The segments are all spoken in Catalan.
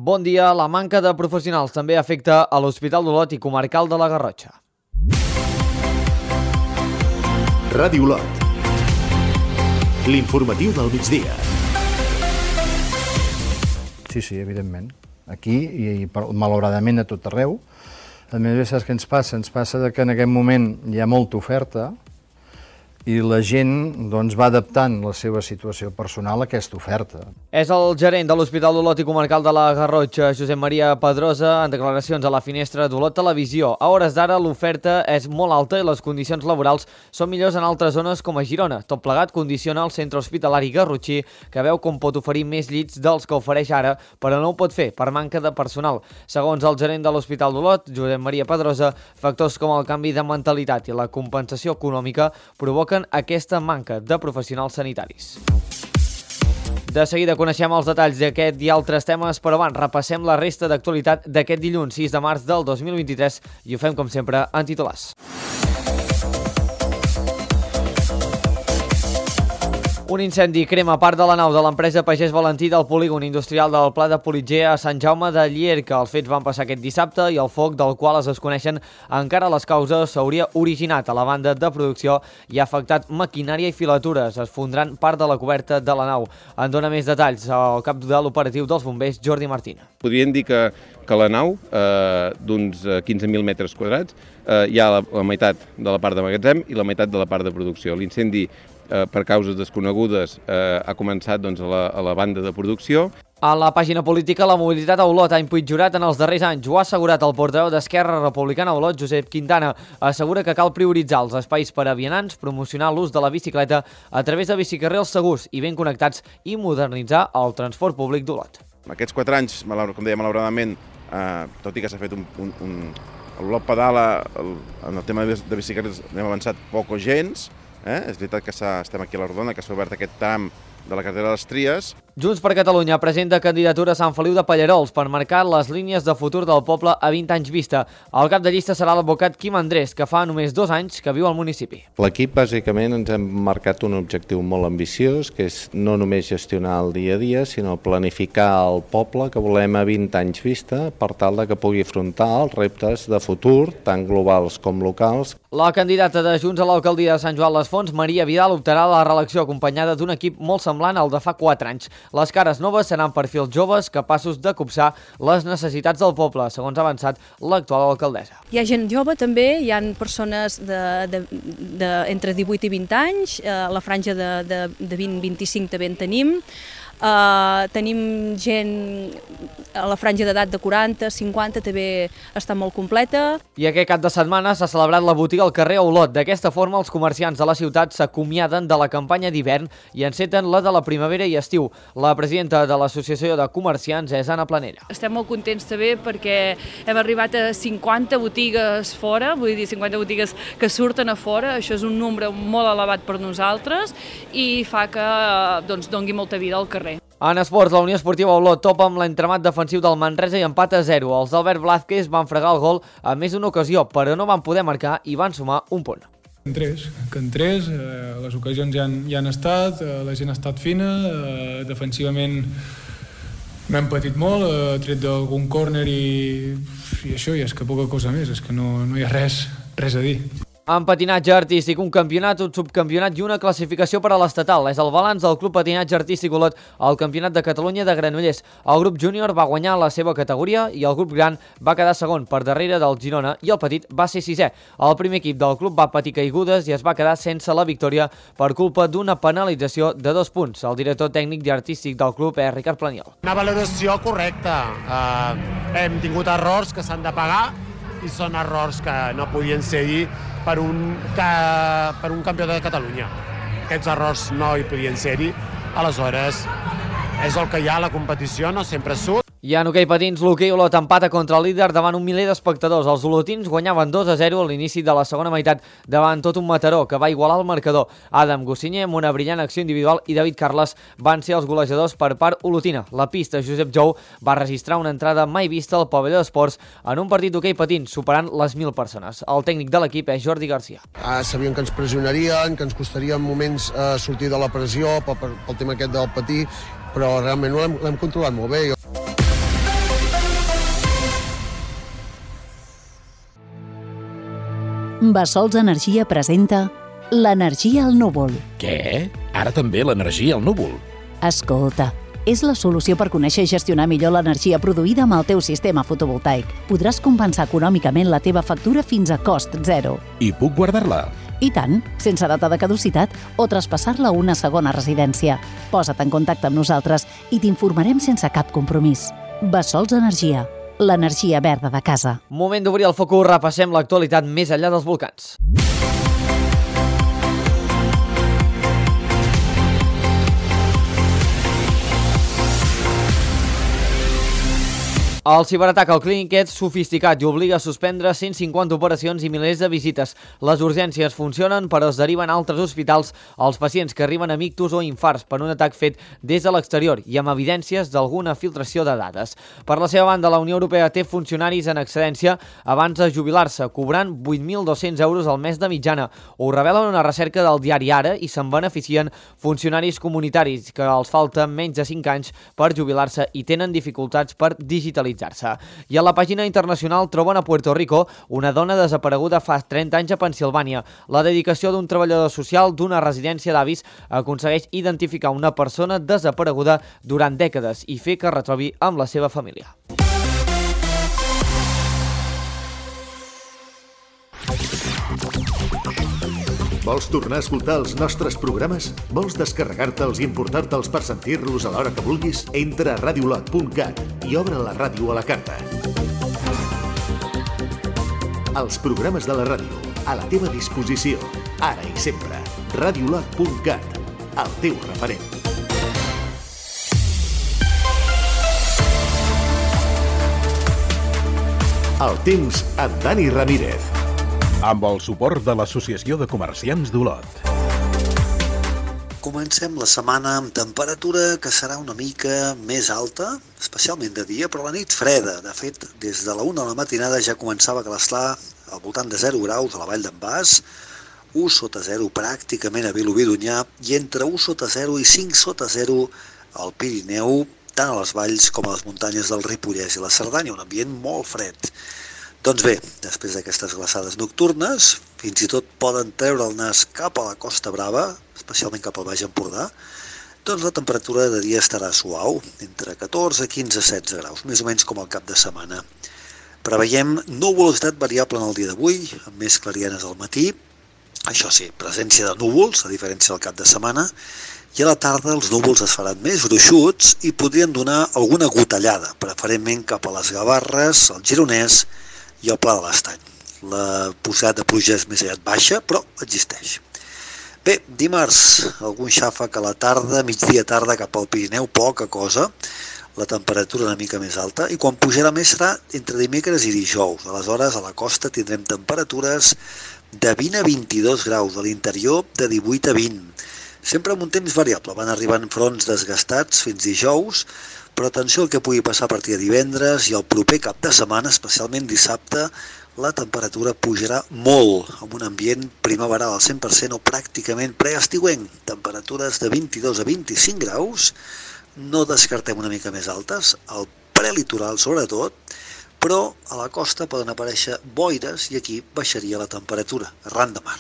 Bon dia. La manca de professionals també afecta a l'Hospital d'Olot i Comarcal de la Garrotxa. Ràdio Olot. L'informatiu del migdia. Sí, evidentment. Aquí i malauradament a tot arreu. A més, saps què ens passa? Ens passa que en aquest moment hi ha molta oferta i la gent va adaptant la seva situació personal a aquesta oferta. És el gerent de l'Hospital d'Olot i Comarcal de la Garrotxa, Josep Maria Pedrosa, en declaracions a la finestra d'Olot Televisió. A hores d'ara l'oferta és molt alta i les condicions laborals són millors en altres zones com a Girona. Tot plegat condiciona el centre hospitalari garrotxí, que veu com pot oferir més llits dels que ofereix ara, però no ho pot fer per manca de personal. Segons el gerent de l'Hospital d'Olot, Josep Maria Pedrosa, factors com el canvi de mentalitat i la compensació econòmica provoquen aquesta manca de professionals sanitaris. De seguida coneixem els detalls d'aquest i altres temes, però abans repassem la resta d'actualitat d'aquest dilluns 6 de març del 2023 i ho fem com sempre en titulars. Un incendi crema part de la nau de l'empresa Pagès Valentí del polígon industrial del Pla de Politger a Sant Jaume de Llierca. Els fets van passar aquest dissabte i el foc, del qual es desconeixen encara les causes, s'hauria originat a la banda de producció i ha afectat maquinària i filatures. Es fondran part de la coberta de la nau. En dona més detalls el cap de l'operatiu dels bombers, Jordi Martina. Podríem dir que la nau, d'uns 15.000 metres quadrats, hi ha la meitat de la part de magatzem i la meitat de la part de producció. L'incendi, per causes desconegudes, ha començat a la banda de producció. A la pàgina política, la mobilitat a Olot ha empitjorat en els darrers anys. Ho ha assegurat el portaveu d'Esquerra Republicana a Olot, Josep Quintana. Assegura que cal prioritzar els espais per a vianants, promocionar l'ús de la bicicleta a través de bicicarrils segurs i ben connectats i modernitzar el transport públic d'Olot. Aquests 4 anys, com deia, malauradament, tot i que s'ha fet l'Olot pedala, en el tema de bicicletes hem avançat poc o gens. És veritat que estem aquí a la Rodona, que s'ha obert aquest tram de la carretera de les Tries. Junts per Catalunya presenta candidatura a Sant Feliu de Pallerols per marcar les línies de futur del poble a 20 anys vista. El cap de llista serà l'advocat Quim Andrés, que fa només 2 anys que viu al municipi. L'equip, bàsicament, ens hem marcat un objectiu molt ambiciós, que és no només gestionar el dia a dia, sinó planificar el poble que volem a 20 anys vista, per tal que pugui afrontar els reptes de futur, tant globals com locals. La candidata de Junts a l'alcaldia de Sant Joan les Fonts, Maria Vidal, optarà a la reelecció acompanyada d'un equip molt semblant al de fa 4 anys. Les cares noves seran perfils joves capaços de copsar les necessitats del poble, segons ha avançat l'actual alcaldessa. Hi ha gent jove també, hi ha persones entre 18 i 20 anys, la franja de 20-25 també en tenim. Tenim gent a la franja d'edat de 40, 50, també està molt completa. I aquest cap de setmana s'ha celebrat la botiga al carrer Olot. D'aquesta forma, els comerciants de la ciutat s'acomiaden de la campanya d'hivern i enceten la de la primavera i estiu. La presidenta de l'Associació de Comerciants és Anna Planella. Estem molt contents també perquè hem arribat a 50 botigues fora, vull dir 50 botigues que surten a fora. Això és un nombre molt elevat per nosaltres i fa que doni molta vida al carrer. En esports, la Unió Esportiva Olot topa amb l'entramat defensiu del Manresa i empat a 0. Els d'Albert Blázquez van fregar el gol a més d'una ocasió, però no van poder marcar i van sumar un punt. En tres, les ocasions ja han estat, la gent ha estat fina, defensivament no hem patit molt, tret d'algun córner i això, i és que poca cosa més, és que no hi ha res a dir. En patinatge artístic, un campionat, un subcampionat i una classificació per a l'estatal. És el balanç del Club Patinatge Artístic Olot al Campionat de Catalunya de Granollers. El grup júnior va guanyar la seva categoria i el grup gran va quedar segon per darrere del Girona i el petit va ser sisè. El primer equip del club va patir caigudes i es va quedar sense la victòria per culpa d'una penalització de 2 punts. El director tècnic i artístic del club és Ricard Planiol. Una valoració correcta. Hem tingut errors que s'han de pagar i són errors que no podien ser-hi per un campió de Catalunya. Aquests errors no hi podien ser-hi, aleshores és el que hi ha a la competició, no sempre surt. I en hoquei patins, l'hoquei Olot empata contra el líder davant un miler d'espectadors. Els olotins guanyaven 2-0 a l'inici de la segona meitat davant tot un Mataró, que va igualar el marcador. Adam Gossinyer, amb una brillant acció individual, i David Carles van ser els golejadors per part olotina. La pista Josep Jou va registrar una entrada mai vista al pavelló d'esports en un partit d'hoquei patins, superant les 1.000 persones. El tècnic de l'equip és Jordi Garcia. Sabíem que ens pressionarien, que ens costaria en moments sortir de la pressió pel tema aquest del patí, però realment l'hem controlat molt bé. Bessols Energia presenta l'energia al núvol. Què? Ara també l'energia al núvol? Escolta, és la solució per conèixer i gestionar millor l'energia produïda amb el teu sistema fotovoltaic. Podràs compensar econòmicament la teva factura fins a cost zero. I puc guardar-la? I tant, sense data de caducitat o traspassar-la a una segona residència. Posa't en contacte amb nosaltres i t'informarem sense cap compromís. Bessols Energia, l'energia verda de casa. Moment d'obrir el focus, repassem l'actualitat més enllà dels volcans. El ciberatac al clínic és sofisticat i obliga a suspendre 150 operacions i milers de visites. Les urgències funcionen, però es deriven a altres hospitals els pacients que arriben amb ictus o infarts per un atac fet des de l'exterior i amb evidències d'alguna filtració de dades. Per la seva banda, la Unió Europea té funcionaris en excedència abans de jubilar-se, cobrant 8.200 euros al mes de mitjana. Ho revela una recerca del diari Ara i se'n beneficien funcionaris comunitaris que els falta menys de 5 anys per jubilar-se i tenen dificultats per digitalitzar. I a la pàgina internacional troben a Puerto Rico una dona desapareguda fa 30 anys a Pensilvània. La dedicació d'un treballador social d'una residència d'avis aconsegueix identificar una persona desapareguda durant dècades i fer que es retrobi amb la seva família. Vols tornar a escoltar els nostres programes? Vols descarregar-te'ls i importar-te'ls per sentir-los a l'hora que vulguis? Entra a radiolot.cat i obre la ràdio a la carta. Els programes de la ràdio, a la teva disposició, ara i sempre. Radiolot.cat, el teu referent. El temps amb Dani Ramírez. Amb el suport de l'Associació de Comerciants d'Olot. Comencem la setmana amb temperatura que serà una mica més alta, especialment de dia, però la nit freda. De fet, des de la 1 de la matinada ja començava a glaçar al voltant de 0 graus a la Vall d'en Bas, 1 sota 0 pràcticament a Vilobí d'Onyar i entre 1 sota 0 i 5 sota 0 al Pirineu, tant a les valls com a les muntanyes del Ripollès i la Cerdanya, un ambient molt fred. Doncs bé, després d'aquestes glaçades nocturnes, fins i tot poden treure el nas cap a la Costa Brava, especialment cap al Baix Empordà, doncs la temperatura de dia estarà suau, entre 14, 15, 16 graus, més o menys com el cap de setmana. Preveiem nuvolositat variable en el dia d'avui, amb més clarianes al matí, això sí, presència de núvols, a diferència del cap de setmana, i a la tarda els núvols es faran més gruixuts i podrien donar alguna gotellada, preferentment cap a les Gavarres, el Gironès i el Pla de l'Estany. La possibilitat de pluja és més aviat baixa, però existeix. Bé, dimarts, algun xàfec a la tarda, migdia tarda cap al Pirineu, poca cosa, la temperatura una mica més alta, i quan pujarà més serà entre dimecres i dijous. Aleshores, a la costa tindrem temperatures de 20 a 22 graus, a l'interior de 18 a 20. Sempre amb un temps variable, van arribant fronts desgastats fins dijous, però atenció al que pugui passar a partir de divendres i el proper cap de setmana, especialment dissabte, la temperatura pujarà molt, amb un ambient primaveral al 100% o pràcticament preestiuenc. Temperatures de 22 a 25 graus, no descartem una mica més altes, al prelitoral sobretot, però a la costa poden aparèixer boires i aquí baixaria la temperatura, arran de mar.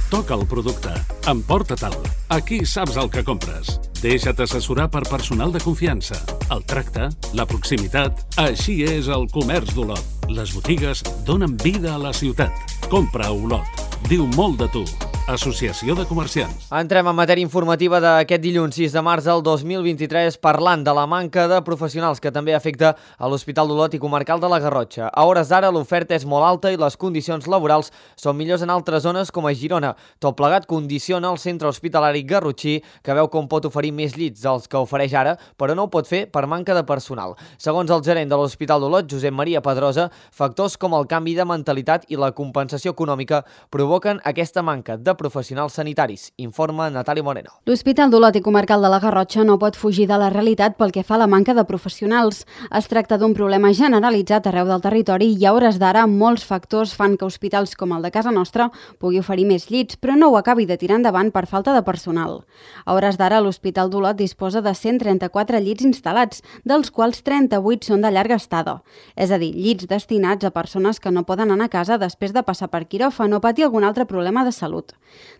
Toca el producte, emporta-te'l. Aquí saps el que compres. Deixa't assessorar per personal de confiança. El tracte, la proximitat, així és el comerç d'Olot. Les botigues donen vida a la ciutat. Compra a Olot. Diu molt de tu. Associació de Comerciants. Entrem en matèria informativa d'aquest dilluns 6 de març del 2023 parlant de la manca de professionals que també afecta a l'Hospital d'Olot i Comarcal de la Garrotxa. A hores d'ara l'oferta és molt alta i les condicions laborals són millors en altres zones com a Girona. Tot plegat condiciona el centre hospitalari garrotxí que veu com pot oferir més llits dels que ofereix ara, però no ho pot fer per manca de personal. Segons el gerent de l'Hospital d'Olot, Josep Maria Pedrosa, factors com el canvi de mentalitat i la compensació econòmica provoquen aquesta manca de professionals sanitaris. Informa Natàlia Moreno. L'Hospital d'Olot i Comarcal de la Garrotxa no pot fugir de la realitat pel que fa a la manca de professionals. Es tracta d'un problema generalitzat arreu del territori i a hores d'ara molts factors fan que hospitals com el de casa nostra pugui oferir més llits, però no ho acabi de tirar endavant per falta de personal. A hores d'ara l'Hospital d'Olot disposa de 134 llits instal·lats, dels quals 38 són de llarga estada. És a dir, llits destinats a persones que no poden anar a casa després de passar per quiròfan o patir algun altre problema de salut.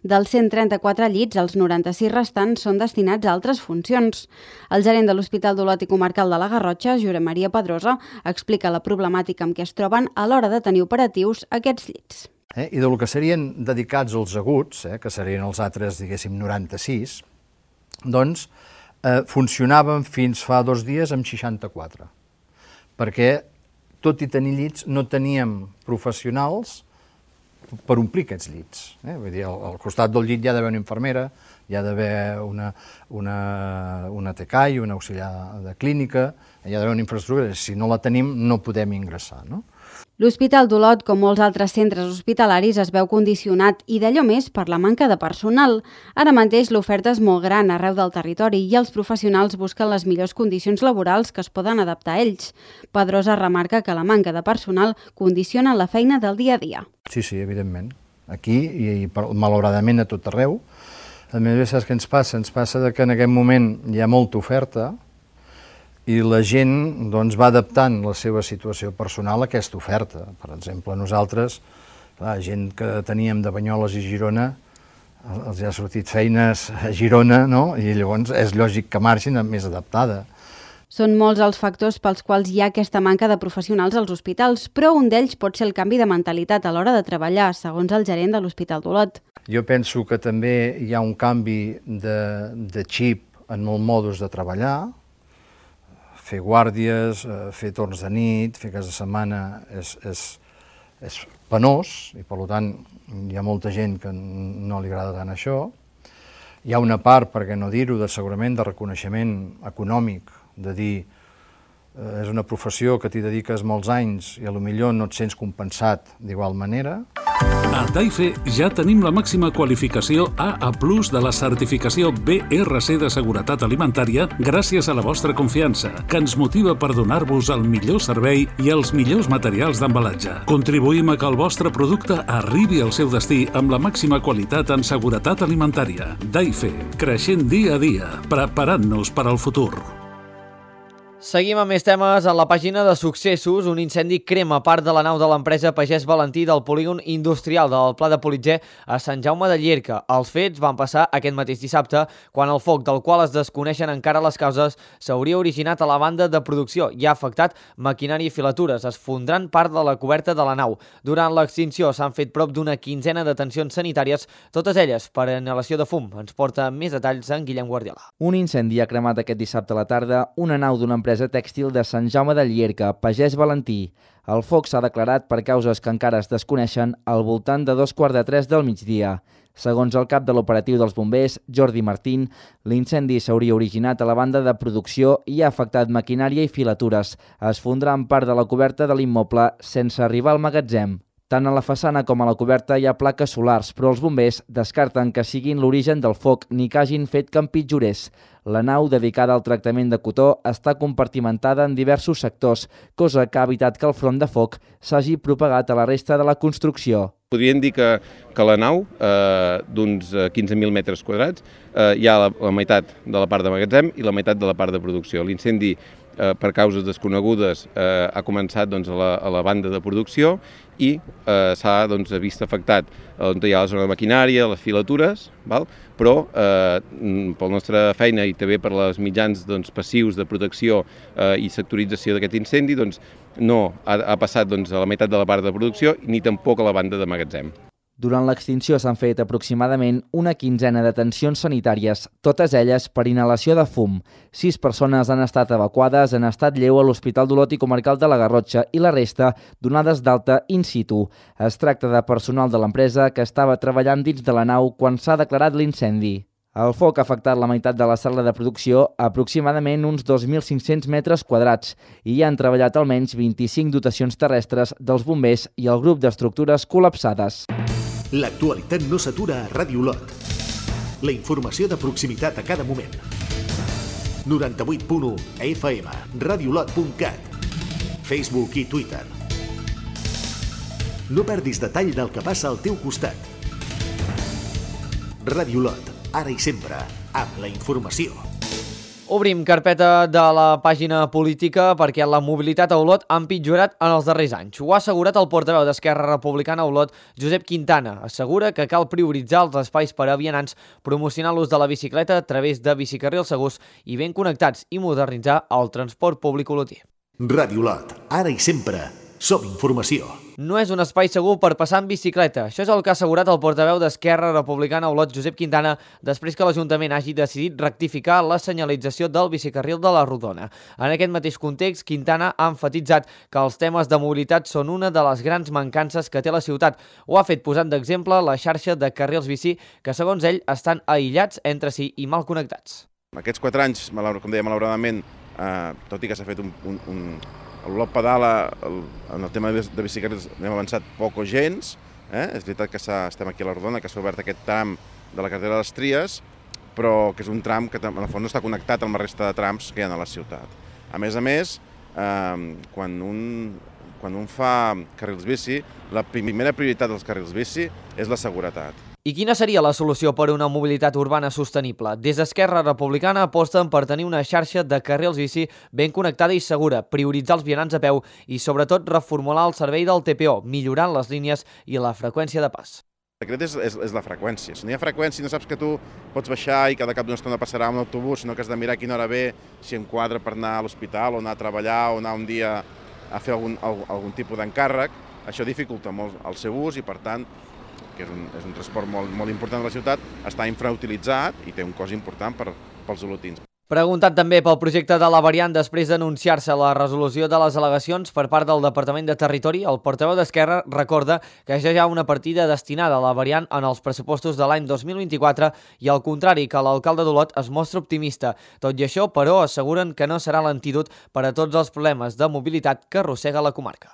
Dels 134 llits, els 96 restants són destinats a altres funcions. El gerent de l'Hospital d'Olot i Comarcal de la Garrotxa, Josep Maria Pedrosa, explica la problemàtica amb què es troben a l'hora de tenir operatius aquests llits. I del que serien dedicats als aguts, que serien els altres, diguéssim, 96, doncs funcionaven fins fa 2 dies amb 64, perquè tot i tenir llits no teníem professionals per omplir aquests llits. Vull dir, al costat del llit hi ha d'haver una infermera, hi ha d'haver una TCAI, una auxiliar de clínica, hi ha d'haver una infraestructura, si no la tenim no podem ingressar, no? L'Hospital d'Olot, com molts altres centres hospitalaris, es veu condicionat i d'allò més per la manca de personal. Ara mateix l'oferta és molt gran arreu del territori i els professionals busquen les millors condicions laborals que es poden adaptar a ells. Pedrosa remarca que la manca de personal condiciona la feina del dia a dia. Sí, evidentment. Aquí i malauradament a tot arreu. A més, saps què ens passa? Ens passa que en aquest moment hi ha molta oferta i la gent va adaptant la seva situació personal a aquesta oferta. Per exemple, nosaltres, la gent que teníem de Banyoles i Girona, els ha sortit feines a Girona, no? I llavors és lògic que marxin més adaptada. Són molts els factors pels quals hi ha aquesta manca de professionals als hospitals, però un d'ells pot ser el canvi de mentalitat a l'hora de treballar, segons el gerent de l'Hospital d'Olot. Jo penso que també hi ha un canvi de xip en el modus de treballar. Fer guàrdies, fer torns de nit, fer casa de setmana és penós i per tant hi ha molta gent que no li agrada tant això. Hi ha una part, per què no dir-ho, segurament de reconeixement econòmic, de dir és una professió que t'hi dediques molts anys i potser no et sents compensat d'igual manera. A Daife ja tenim la màxima qualificació AA+ de la certificació BRC de seguretat alimentària gràcies a la vostra confiança, que ens motiva per donar-vos el millor servei i els millors materials d'embalatge. Contribuïm a que el vostre producte arribi al seu destí amb la màxima qualitat en seguretat alimentària. Daife, creixent dia a dia, preparant-nos per al futur. Seguim amb més temes. A la pàgina de successos, un incendi crema part de la nau de l'empresa Pagès Valentí del polígon industrial del Pla de Politzer a Sant Jaume de Llierca. Els fets van passar aquest mateix dissabte, quan el foc, del qual es desconeixen encara les causes, s'hauria originat a la banda de producció i ha afectat maquinària i filatures, esfondrant part de la coberta de la nau. Durant l'extinció s'han fet prop d'una quinzena de detencions sanitàries, totes elles per inhalació de fum. Ens porta més detalls en Guillem Guardiola. Un incendi ha cremat aquest dissabte a la tarda una nau d'una empresa tèxtil de Sant Jaume de Llierca, Pagès Valentí. El foc s'ha declarat per causes que encara es desconeixen al voltant de 2:45 del migdia. Segons el cap de l'operatiu dels bombers, Jordi Martín, l'incendi s'hauria originat a la banda de producció i ha afectat maquinària i filatures, esfondrant part de la coberta de l'immoble sense arribar al magatzem. Tant a la façana com a la coberta hi ha plaques solars, però els bombers descarten que siguin l'origen del foc ni que hagin fet que empitjorés. La nau, dedicada al tractament de cotó, està compartimentada en diversos sectors, cosa que ha evitat que el front de foc s'hagi propagat a la resta de la construcció. Podríem dir que la nau, d'uns 15.000 metres quadrats, hi ha la meitat de la part de magatzem i la meitat de la part de producció. L'incendi, per causes desconegudes, ha començat a la banda de producció i s'ha vist afectat on hi ha la zona de maquinària, les filatures, però per la nostra feina i també per les mitjans passius de protecció i sectorització d'aquest incendi, no ha passat a la meitat de la part de producció ni tampoc a la banda de magatzem. Durant l'extinció s'han fet aproximadament una quinzena de detencions sanitàries, totes elles per inhalació de fum. 6 persones han estat evacuades en estat lleu a l'Hospital d'Olot i Comarcal de la Garrotxa i la resta donades d'alta in situ. Es tracta de personal de l'empresa que estava treballant dins de la nau quan s'ha declarat l'incendi. El foc ha afectat la meitat de la sala de producció, aproximadament uns 2.500 metres quadrats, i hi han treballat almenys 25 dotacions terrestres dels bombers i el grup d'estructures col·lapsades. L'actualitat no s'atura a Ràdio Olot. La informació de proximitat a cada moment. 98.1 FM, radiolot.cat, Facebook i Twitter. No perdis detall del que passa al teu costat. Ràdio Olot, ara i sempre, amb la informació. Obrim carpeta de la pàgina política perquè la mobilitat a Olot ha empitjorat en els darrers anys. Ho ha assegurat el portaveu d'Esquerra Republicana a Olot, Josep Quintana. Assegura que cal prioritzar els espais per a vianants, promocionar l'ús de la bicicleta a través de bicicarrils segurs i ben connectats i modernitzar el transport públic olotí. Ràdio Olot, ara i sempre, som informació. No és un espai segur per passar en bicicleta. Això és el que ha assegurat el portaveu d'Esquerra Republicana a Olot, Josep Quintana, després que l'Ajuntament hagi decidit rectificar la senyalització del bicicarril de la Rodona. En aquest mateix context, Quintana ha emfatitzat que els temes de mobilitat són una de les grans mancances que té la ciutat. Ho ha fet posant d'exemple la xarxa de carrils bici que, segons ell, estan aïllats entre si i mal connectats. Aquests 4 anys, com deia, malauradament, tot i que s'ha fet l'Olot Pedala, en el tema de bicicletes hem avançat poc o gens. És veritat que estem aquí a la Rodona, que s'ha obert aquest tram de la carretera de les Tries, però que és un tram que en el fons no està connectat amb la resta de trams que hi ha a la ciutat. A més, quan un fa carrils bici, la primera prioritat dels carrils bici és la seguretat. I quina seria la solució per a una mobilitat urbana sostenible? Des d'Esquerra Republicana aposten per tenir una xarxa de carrils bici ben connectada i segura, prioritzar els vianants a peu i, sobretot, reformular el servei del TPO, millorant les línies i la freqüència de pas. El secret és la freqüència. Si no hi ha freqüència, no saps que tu pots baixar i cada cap d'una estona passarà un autobús, sinó que has de mirar a quina hora ve, si enquadra per anar a l'hospital o anar a treballar o anar un dia a fer algun tipus d'encàrrec. Això dificulta molt el seu ús i, per tant, que és un transport molt important de la ciutat, està infrautilitzat i té un cost important pels olotins. Preguntat també pel projecte de la variant després d'anunciar-se la resolució de les al·legacions per part del Departament de Territori, el portaveu d'Esquerra recorda que ja hi ha una partida destinada a la variant en els pressupostos de l'any 2024 i, al contrari, que l'alcalde d'Olot es mostra optimista. Tot i això, però, asseguren que no serà l'antídot per a tots els problemes de mobilitat que arrossega la comarca.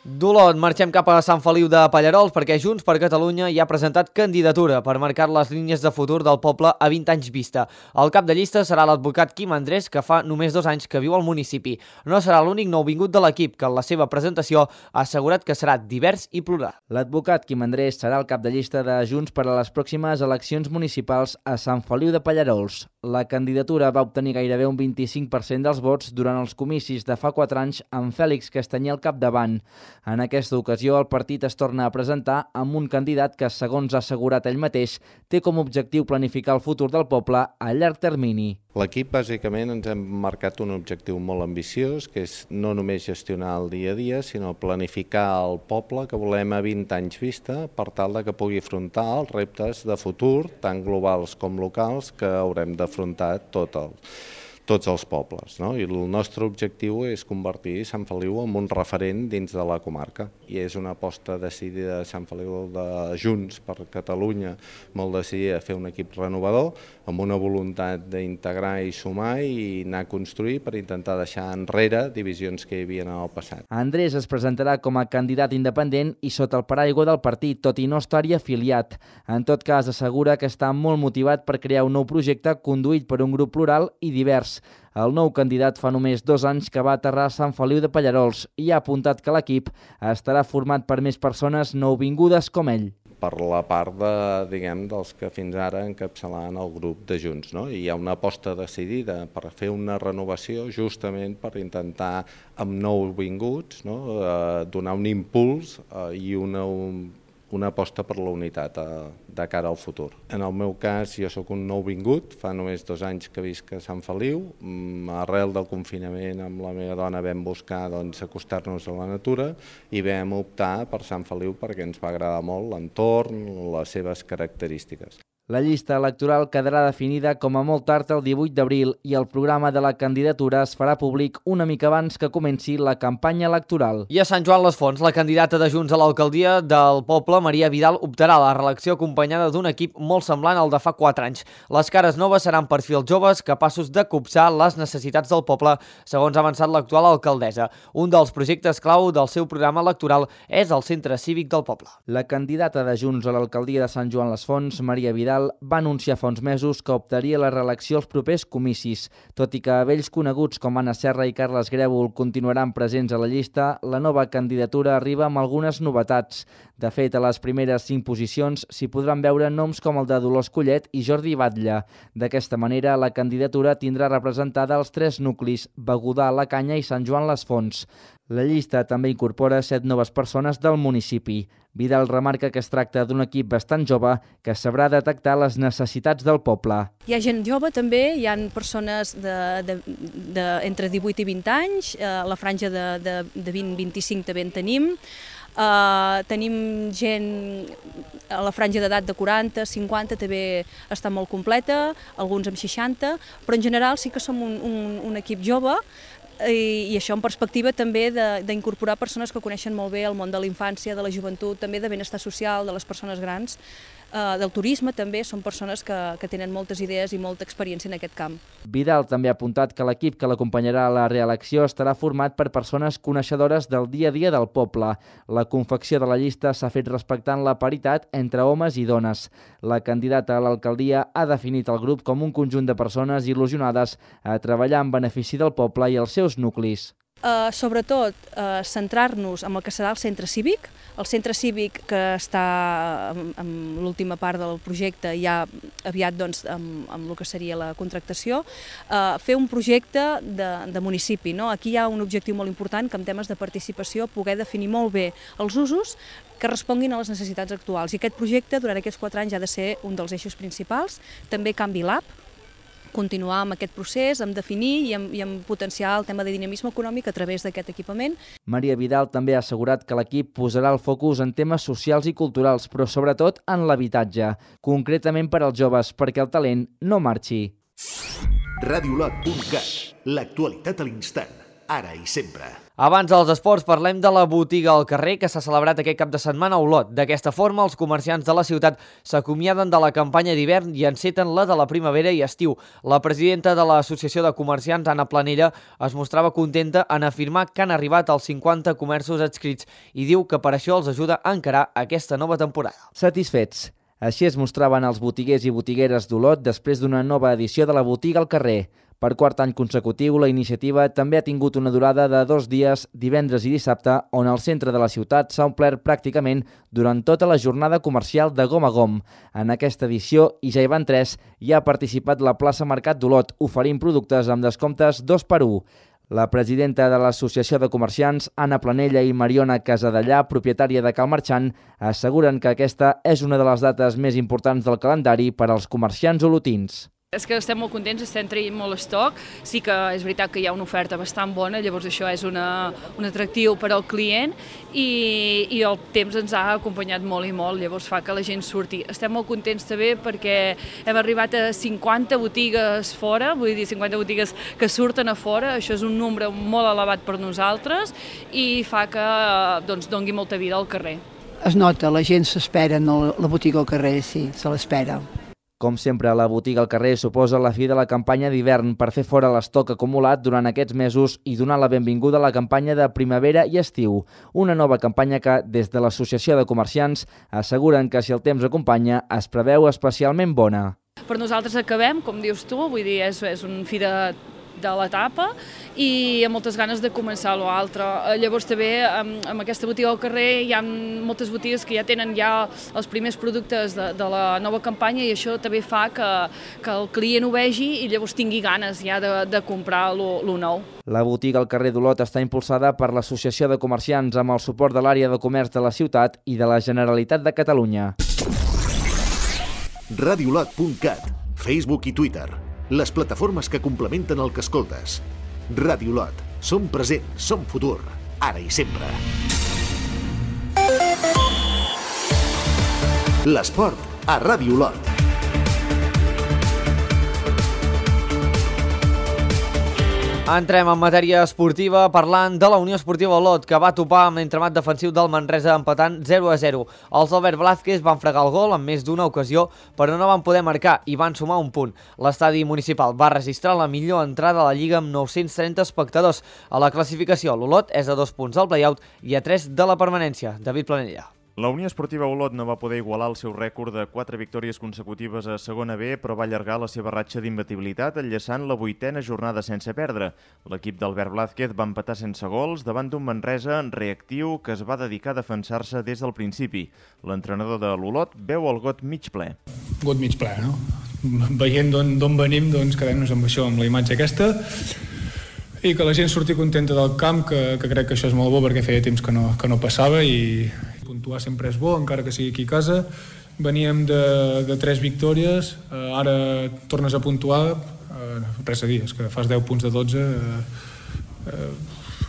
D'Olot marxem cap a Sant Feliu de Pallerols perquè Junts per Catalunya ja ha presentat candidatura per marcar les línies de futur del poble a 20 anys vista. El cap de llista serà l'advocat Quim Andrés, que fa només 2 anys que viu al municipi. No serà l'únic nouvingut de l'equip, que en la seva presentació ha assegurat que serà divers i plural. L'advocat Quim Andrés serà el cap de llista de Junts per a les pròximes eleccions municipals a Sant Feliu de Pallerols. La candidatura va obtenir gairebé un 25% dels vots durant els comicis de fa 4 anys amb Fèlix Castanyer al capdavant. En aquesta ocasió, el partit es torna a presentar amb un candidat que, segons ha assegurat ell mateix, té com a objectiu planificar el futur del poble a llarg termini. L'equip, bàsicament, ens hem marcat un objectiu molt ambiciós, que és no només gestionar el dia a dia, sinó planificar el poble que volem a 20 anys vista per tal que pugui afrontar els reptes de futur, tant globals com locals, que haurem d'afrontar tots els pobles. I el nostre objectiu és convertir Sant Feliu en un referent dins de la comarca. I és una aposta decidida de Sant Feliu de Junts per Catalunya, molt decidida a fer un equip renovador, amb una voluntat d'integrar i sumar i anar a construir per intentar deixar enrere divisions que hi havia en el passat. Andrés es presentarà com a candidat independent i sota el paraigua del partit, tot i no estar-hi afiliat. En tot cas, assegura que està molt motivat per crear un nou projecte conduït per un grup plural i divers. El nou candidat fa només 2 anys que va aterrar a Sant Feliu de Pallerols i ha apuntat que l'equip estarà format per més persones nouvingudes com ell. Per la part dels que fins ara encapçalaven el grup de Junts. I hi ha una aposta decidida per fer una renovació justament per intentar, amb nouvinguts, donar un impuls i una aposta per la unitat de cara al futur. En el meu cas, jo sóc un nouvingut, fa només 2 anys que visc a Sant Feliu. Arrel del confinament amb la meva dona vam buscar acostar-nos a la natura i vam optar per Sant Feliu perquè ens va agradar molt l'entorn, les seves característiques. La llista electoral quedarà definida com a molt tard el 18 d'abril i el programa de la candidatura es farà públic una mica abans que comenci la campanya electoral. I a Sant Joan les Fonts, la candidata de Junts a l'alcaldia del poble, Maria Vidal, optarà a la reelecció acompanyada d'un equip molt semblant al de fa 4 anys. Les cares noves seran perfils joves capaços de copsar les necessitats del poble, segons ha avançat l'actual alcaldessa. Un dels projectes clau del seu programa electoral és el Centre Cívic del poble. La candidata de Junts a l'alcaldia de Sant Joan les Fonts, Maria Vidal, va anunciar fa uns mesos que optaria a la reelecció als propers comicis. Tot i que vells coneguts com Anna Serra i Carles Grèvol continuaran presents a la llista, la nova candidatura arriba amb algunes novetats. De fet, a les primeres 5 posicions s'hi podran veure noms com el de Dolors Collet i Jordi Batlle. D'aquesta manera, la candidatura tindrà representada els 3 nuclis, Begudà, La Canya i Sant Joan les Fonts. La llista també incorpora 7 noves persones del municipi. Vidal remarca que es tracta d'un equip bastant jove que sabrà detectar les necessitats del poble. Hi ha gent jove també, hi ha persones entre 18 i 20 anys, la franja de 20-25 també en tenim. Tenim gent a la franja d'edat de 40, 50, també està molt completa, alguns amb 60, però en general sí que som un equip jove, i això en perspectiva també d'incorporar persones que coneixen molt bé el món de la infància, de la joventut, també de benestar social, de les persones grans, del turisme també, són persones que tenen moltes idees i molta experiència en aquest camp. Vidal també ha apuntat que l'equip que l'acompanyarà a la reelecció estarà format per persones coneixedores del dia a dia del poble. La confecció de la llista s'ha fet respectant la paritat entre homes i dones. La candidata a l'alcaldia ha definit el grup com un conjunt de persones il·lusionades a treballar en benefici del poble i els seus nuclis. Sobretot centrar-nos en el que serà el centre cívic. El centre cívic que està en l'última part del projecte ja aviat amb el que seria la contractació, fer un projecte de municipi. Aquí hi ha un objectiu molt important que en temes de participació poder definir molt bé els usos que responguin a les necessitats actuals. I aquest projecte durant aquests 4 anys ha de ser un dels eixos principals. També Canvi Lab, continuar amb aquest procés, amb definir i amb potenciar el tema de dinamisme econòmic a través d'aquest equipament. Maria Vidal també ha assegurat que l'equip posarà el focus en temes socials i culturals, però sobretot en l'habitatge, concretament per als joves, perquè el talent no marxi. Radiolot.cat, l'actualitat a l'instant, ara i sempre. Abans dels esports parlem de la botiga al carrer que s'ha celebrat aquest cap de setmana a Olot. D'aquesta forma, els comerciants de la ciutat s'acomiaden de la campanya d'hivern i enceten la de la primavera i estiu. La presidenta de l'Associació de Comerciants, Anna Planella, es mostrava contenta en afirmar que han arribat als 50 comerços adscrits i diu que per això els ajuda a encarar aquesta nova temporada. Satisfets. Així es mostraven els botiguers i botigueres d'Olot després d'una nova edició de la botiga al carrer. Per 4 any consecutiu, la iniciativa també ha tingut una durada de 2 dies, divendres i dissabte, on el centre de la ciutat s'ha omplert pràcticament durant tota la jornada comercial de gom a gom. En aquesta edició, i ja hi van 3, hi ha participat la plaça Mercat d'Olot, oferint productes amb descomptes 2x1. La presidenta de l'Associació de Comerciants, Anna Planella i Mariona Casadellà, propietària de Cal Marxant, asseguren que aquesta és una de les dates més importants del calendari per als comerciants olotins. És que estem molt contents, estem traient molt estoc, sí que és veritat que hi ha una oferta bastant bona, llavors això és un atractiu per al client i el temps ens ha acompanyat molt i molt, llavors fa que la gent surti. Estem molt contents també perquè hem arribat a 50 botigues fora, vull dir 50 botigues que surten a fora, això és un nombre molt elevat per nosaltres i fa que doni molta vida al carrer. Es nota, la gent s'espera en la botiga al carrer, sí, se l'espera. Com sempre, la botiga al carrer suposa la fi de la campanya d'hivern per fer fora l'estoc acumulat durant aquests mesos i donar la benvinguda a la campanya de primavera i estiu. Una nova campanya que, des de l'Associació de Comerciants, asseguren que si el temps acompanya, es preveu especialment bona. Per nosaltres acabem, com dius tu, vull dir, és un fi de l'etapa i amb moltes ganes de començar l'altre. Llavors també amb aquesta botiga al carrer hi ha moltes botigues que ja tenen els primers productes de la nova campanya i això també fa que el client ho vegi i llavors tingui ganes ja de comprar lo nou. La botiga al carrer d'Olot està impulsada per l'Associació de Comerciants amb el suport de l'àrea de comerç de la ciutat i de la Generalitat de Catalunya. Radiolot.cat, Facebook i Twitter, les plataformes que complementen el que escoltes. Radiolot, som present, som futur, ara i sempre. L'esport a Radiolot. Entrem en matèria esportiva parlant de la Unió Esportiva Olot, que va topar amb l'entremat defensiu del Manresa empatant 0-0. Els Albert Blázquez van fregar el gol en més d'una ocasió, però no van poder marcar i van sumar un punt. L'estadi municipal va registrar la millor entrada a la Lliga amb 930 espectadors. A la classificació, l'Olot és a 2 punts del play-out i a 3 de la permanència. David Planella. La Unió Esportiva Olot no va poder igualar el seu rècord de 4 victòries consecutives a segona B, però va allargar la seva ratxa d'imbatibilitat, enllaçant la 8a jornada sense perdre. L'equip d'Albert Blázquez va empatar sense gols davant d'un Manresa reactiu que es va dedicar a defensar-se des del principi. L'entrenador de l'Olot veu el got mig ple. Got mig ple, no? Veient d'on venim, doncs quedem-nos amb això, amb la imatge aquesta, i que la gent surti contenta del camp, que crec que això és molt bo perquè feia temps que no passava, i puntuar sempre és bo, encara que sigui aquí a casa. Veníem de 3 victòries, ara tornes a puntuar, res a dir, és que fas 10 punts de 12,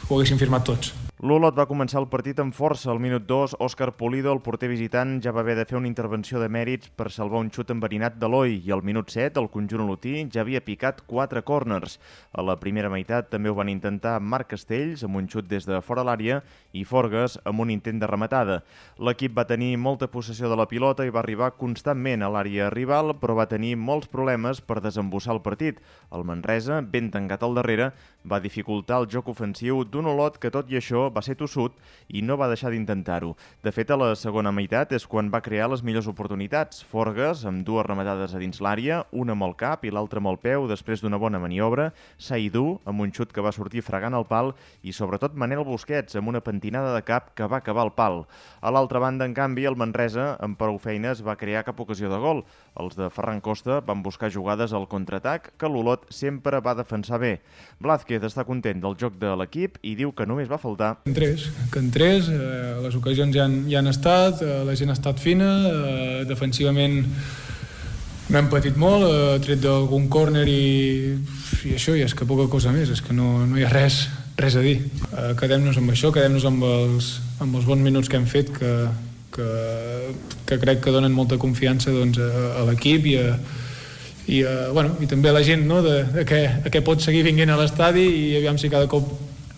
ho haguéssim firmat tots. L'Olot va començar el partit amb força. Al minut 2, Òscar Pulido, el porter visitant, ja va haver de fer una intervenció de mèrits per salvar un xut enverinat d'Eloi, i al minut 7, el conjunt olotí ja havia picat 4 córners. A la primera meitat també ho van intentar Marc Castells, amb un xut des de fora l'àrea, i Forgues, amb un intent de rematada. L'equip va tenir molta possessió de la pilota i va arribar constantment a l'àrea rival, però va tenir molts problemes per desembussar el partit. El Manresa, ben tancat al darrere, va dificultar el joc ofensiu d'un Olot que, tot i això, va ser tossut i no va deixar d'intentar-ho. De fet, a la segona meitat és quan va crear les millors oportunitats. Forgues, amb 2 rematades a dins l'àrea, una amb el cap i l'altra amb el peu, després d'una bona maniobra, Saidú, amb un xut que va sortir fregant el pal, i sobretot Manel Busquets, amb una pentinada de cap que va acabar al pal. A l'altra banda, en canvi, el Manresa, amb prou feines, va crear cap ocasió de gol. Els de Ferran Costa van buscar jugades al contraatac, que l'Olot sempre va defensar bé. Blázquez està content del joc de l'equip i diu que només va faltar que entrés, les ocasions ja han estat, la gent ha estat fina, defensivament no hem patit molt, tret d'algun córner i això, i és que poca cosa més, és que no hi ha res a dir. Quedem-nos amb això, quedem-nos amb els bons minuts que hem fet, que crec que donen molta confiança a l'equip i també a la gent, no, de que pot seguir vinguent a l'estadi, i aviam si cada cop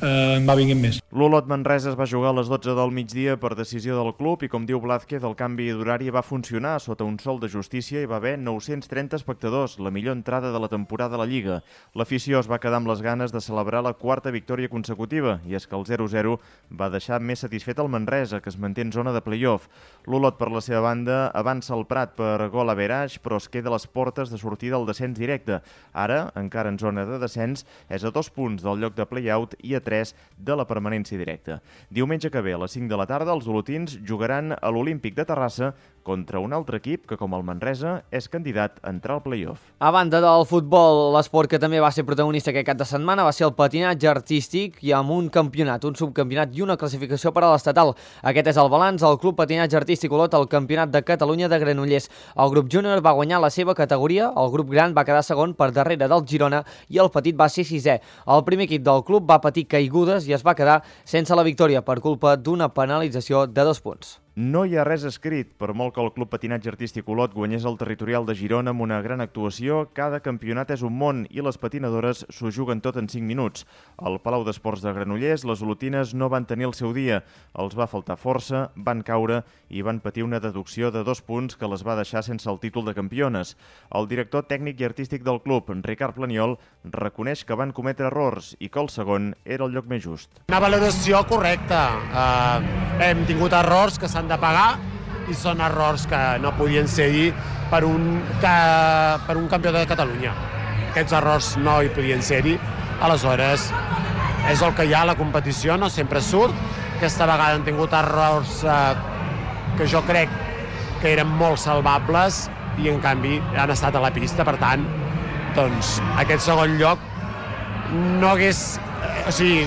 en va vinguent més. L'Olot Manresa es va jugar a les 12 del migdia per decisió del club i, com diu Blázquez, el canvi d'horari va funcionar sota un sol de justícia i va haver 930 espectadors, la millor entrada de la temporada a la Lliga. L'afició es va quedar amb les ganes de celebrar la 4a victòria consecutiva, i és que el 0-0 va deixar més satisfet el Manresa, que es manté en zona de play-off. L'Olot, per la seva banda, avança el Prat per gol a Beraix, però es queda a les portes de sortir del descens directe. Ara, encara en zona de descens, és a 2 punts del lloc de play-out i a 3 de la permanència directa. Diumenge que ve, a les 5 de la tarda, els olotins jugaran a l'Olímpic de Terrassa contra un altre equip que, com el Manresa, és candidat a entrar al play-off. A banda del futbol, l'esport que també va ser protagonista aquest cap de setmana va ser el patinatge artístic, i amb un campionat, un subcampionat i una classificació per a l'estatal. Aquest és el balanç del Club Patinatge Artístic Olot al Campionat de Catalunya de Granollers. El grup júnior va guanyar la seva categoria, el grup gran va quedar segon per darrere del Girona i el petit va ser 6è. El primer equip del club va patir caigudes i es va quedar sense la victòria per culpa d'una penalització de 2 punts. No hi ha res escrit. Per molt que el Club Patinatge Artístic Olot guanyés el territorial de Girona amb una gran actuació, cada campionat és un món i les patinadores s'ho juguen tot en 5 minuts. Al Palau d'Esports de Granollers, les olotines no van tenir el seu dia. Els va faltar força, van caure i van patir una deducció de 2 punts que les va deixar sense el títol de campiones. El director tècnic i artístic del club, Ricard Planiol, reconeix que van cometre errors i que el segon era el lloc més just. Una valoració correcta. Hem tingut errors que s'han de pagar i són errors que no podien ser-hi per un campió de Catalunya. Aquests errors no hi podien ser-hi, aleshores és el que hi ha a la competició, no sempre surt. Aquesta vegada han tingut errors que jo crec que eren molt salvables i en canvi han estat a la pista, per tant, doncs aquest segon lloc no hagués si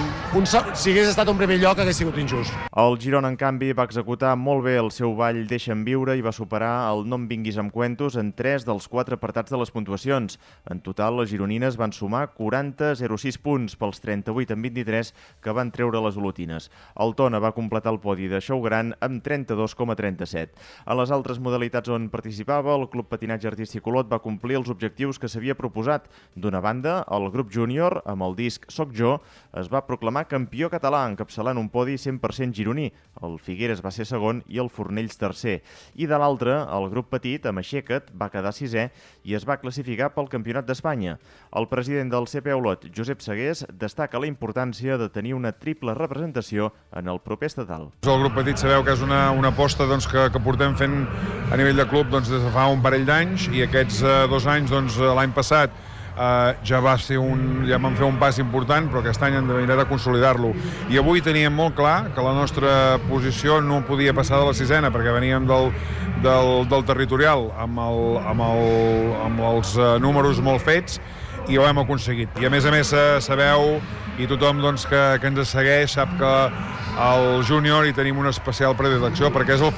hagués estat un primer lloc hagués sigut injust. El Girona, en canvi, va executar molt bé el seu ball Deixa'm viure i va superar el No em vinguis amb cuentos en 3 dels 4 apartats de les puntuacions. En total, les gironines van sumar 40,06 punts pels 38 en 23 que van treure les olotines. El Tona va completar el podi de Xou Gran amb 32,37. A les altres modalitats on participava, el Club Patinatge Artístic Olot va complir els objectius que s'havia proposat. D'una banda, el grup júnior, amb el disc Soc jo, es va proclamar campió català, encapçalant un podi 100% gironí. El Figueres va ser segon i el Fornells tercer. I de l'altre, el grup petit, amb Aixeca't, va quedar sisè i es va classificar pel Campionat d'Espanya. El president del CP Olot, Josep Segués, destaca la importància de tenir una triple representació en el proper estatal. El grup petit sabeu que és una aposta que portem fent a nivell de club des de fa un parell d'anys, i aquests 2 anys, l'any passat, ja vam fer un pas important, però aquest any hem de mirar de consolidar-lo. I avui teníem molt clar que la nostra posició no podia passar de la 6ena, perquè veníem del territorial amb els números molt fets, i ho hem aconseguit. I a més sabeu, i tothom que ens segueix sap que al júnior hi tenim una especial predilecció, perquè és el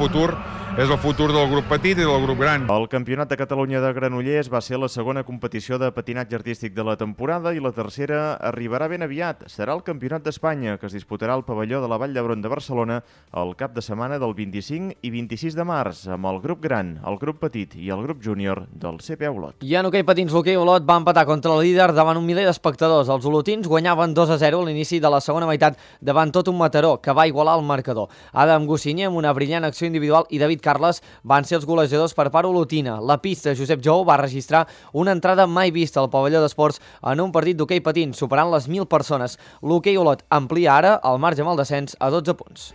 futur del grup petit i del grup gran. El Campionat de Catalunya de Granollers va ser la segona competició de patinatge artístic de la temporada i la tercera arribarà ben aviat. Serà el Campionat d'Espanya, que es disputarà al pavelló de la Vall d'Hebron de Barcelona el cap de setmana del 25 i 26 de març, amb el grup gran, el grup petit i el grup júnior del CP Olot. I en hoquei patins, l'hoquei Olot va empatar contra el líder davant un miler d'espectadors. Els olotins guanyaven 2-0 a l'inici de la segona meitat davant tot un Mataró, que va igualar el marcador. Adam Gossinyer, amb una brillant acció individual, i David Carles van ser els golejadors per part olotina. La pista Josep Jou va registrar una entrada mai vista al pavelló d'esports en un partit d'hoquei patins, superant les 1.000 persones. L'hoquei Olot amplia ara el marge amb el descens a 12 punts.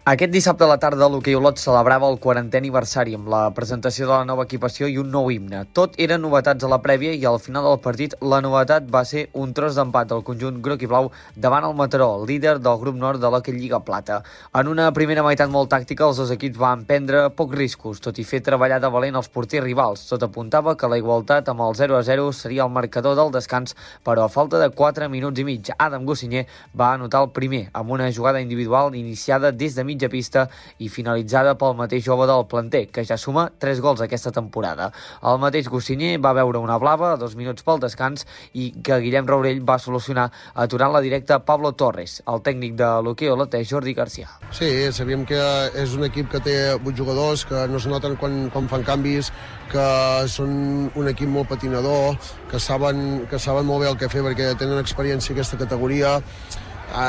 Aquest dissabte a la tarda l'hoquei Olot celebrava el 40è aniversari amb la presentació de la nova equipació i un nou himne. Tot eren novetats a la prèvia i al final del partit la novetat va ser un tros d'empat del conjunt groc i blau davant el Mataró, líder del grup nord de l'Hoquei Lliga Plata. En una primera meitat molt tàctica, els dos equips van prendre pocs riscos, tot i fer treballar de valent els porters rivals. Tot apuntava que la igualtat amb el 0-0 seria el marcador del descans, però a falta de 4 minuts i mig, Adam Gossinyer va anotar el primer amb una jugada individual iniciada des de mitja pista i finalitzada pel mateix jove del planter, que ja suma 3 gols aquesta temporada. El mateix Gossinyer va veure una blava a 2 minuts pel descans i que Guillem Raurell va solucionar aturant la directa Pablo Torres. El tècnic de l'hoquei Olot és Jordi Garcia. Sí, sabíem que és un equip que té 8 jugadors, que no es noten quan fan canvis, que són un equip molt patinador, que saben molt bé el que fer perquè tenen experiència en aquesta categoria.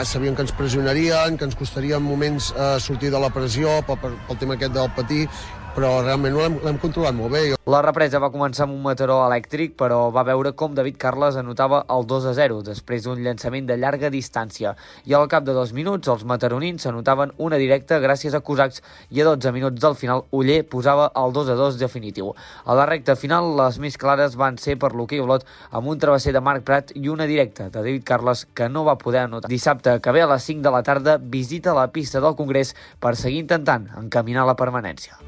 Sabíem que ens pressionarien, que ens costaria en moments sortir de la pressió pel tema aquest del patí, però realment l'hem controlat molt bé. La represa va començar amb un Mataró elèctric, però va veure com David Carles anotava el 2-0 després d'un llançament de llarga distància. I al cap de 2 minuts, els mataronins s'anotaven una directa gràcies a Cosacs i a 12 minuts del final, Oller posava el 2-2 definitiu. A la recta final, les més clares van ser per l'hoquei Olot amb un travesser de Marc Prat i una directa de David Carles que no va poder anotar. Dissabte, que ve a les 5 de la tarda, visita la pista del Congrés per seguir intentant encaminar la permanència.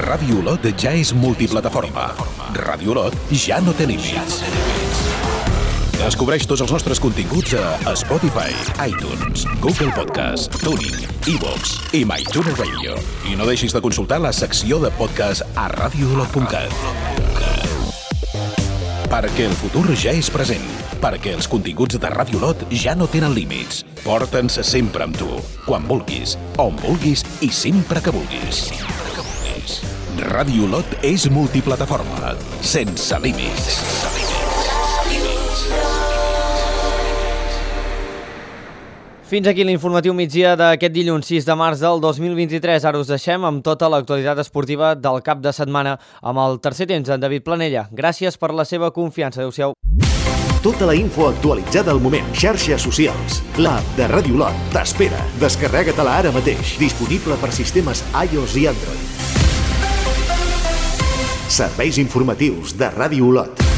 Ràdio Olot ja és multiplataforma. Ràdio Olot ja no té límits. Descobreix tots els nostres continguts a Spotify, iTunes, Google Podcast, TuneIn, iVoox i MyTuner Radio. I no deixis de consultar la secció de podcast a radioolot.cat. Perquè el futur ja és present. Perquè els continguts de Ràdio Olot ja no tenen límits. Porta'ns sempre amb tu, quan vulguis, on vulguis i sempre que vulguis. Ràdio Olot és multiplataforma, sense límits. Fins aquí l'informatiu migdia d'aquest dilluns 6 de març del 2023. Ara us deixem amb tota l'actualitat esportiva del cap de setmana amb el tercer temps d'en David Planella. Gràcies per la seva confiança. Adéu-siau. Tota la info actualitzada al moment. Xarxes socials. L'app de Ràdio Olot t'espera. Descarrega-te-la ara mateix. Disponible per sistemes iOS i Android. Serveis informatius de Ràdio Olot.